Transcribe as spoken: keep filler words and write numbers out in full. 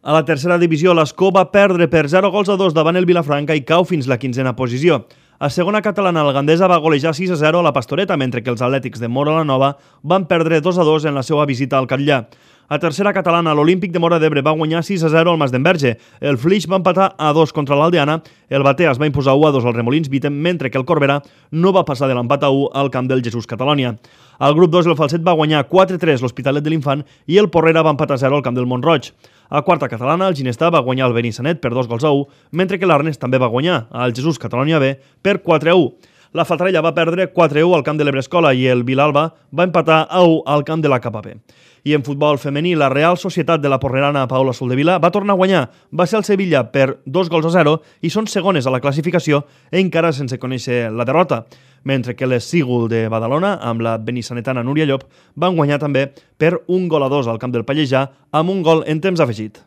A la tercera divisió, l'Escó va perdre per zero gols a dos davant el Vilafranca i cau fins la quinzena posició. A segona catalana, el Gandesa va golejar sis a zero a la Pastoreta, mentre que els Atlètics de Móra la Nova van perdre dos a dos en la seva visita al Catllà. A tercera catalana, l'Olímpic de Móra d'Ebre va guanyar sis a zero al Masdenverge. El Flix va empatar a dos contra l'Aldeana, el Batea es va imposar u a dos al Remolins Vitem, mentre que el Corbera no va passar de l'empat a u al camp del Jesús Catalònia. Al grup dos, el Falset va guanyar quatre a tres l'Hospitalet de l'Infant i el Porrera va empatar a zero al camp del Montroig. A quarta catalana, el Ginestà va guanyar el Benissanet per dos gols a u, mentre que l'Arnes també va guanyar al Jesús Catalònia B per quatre a u. La Faltarella va perdre quatre a u al camp de l'Ebrescola i el Vilalba va empatar a u al camp de la K P P. I en futbol femení, la Real Societat de la Porrerana Paula Soldevila va tornar a guanyar. Va ser el Sevilla per dos gols a zero i són segones a la classificació encara sense conèixer la derrota. Mentre que les Sígul de Badalona, amb la benissanetana Núria Llop, van guanyar també per un gol a dos al camp del Pallejà amb un gol en temps afegit.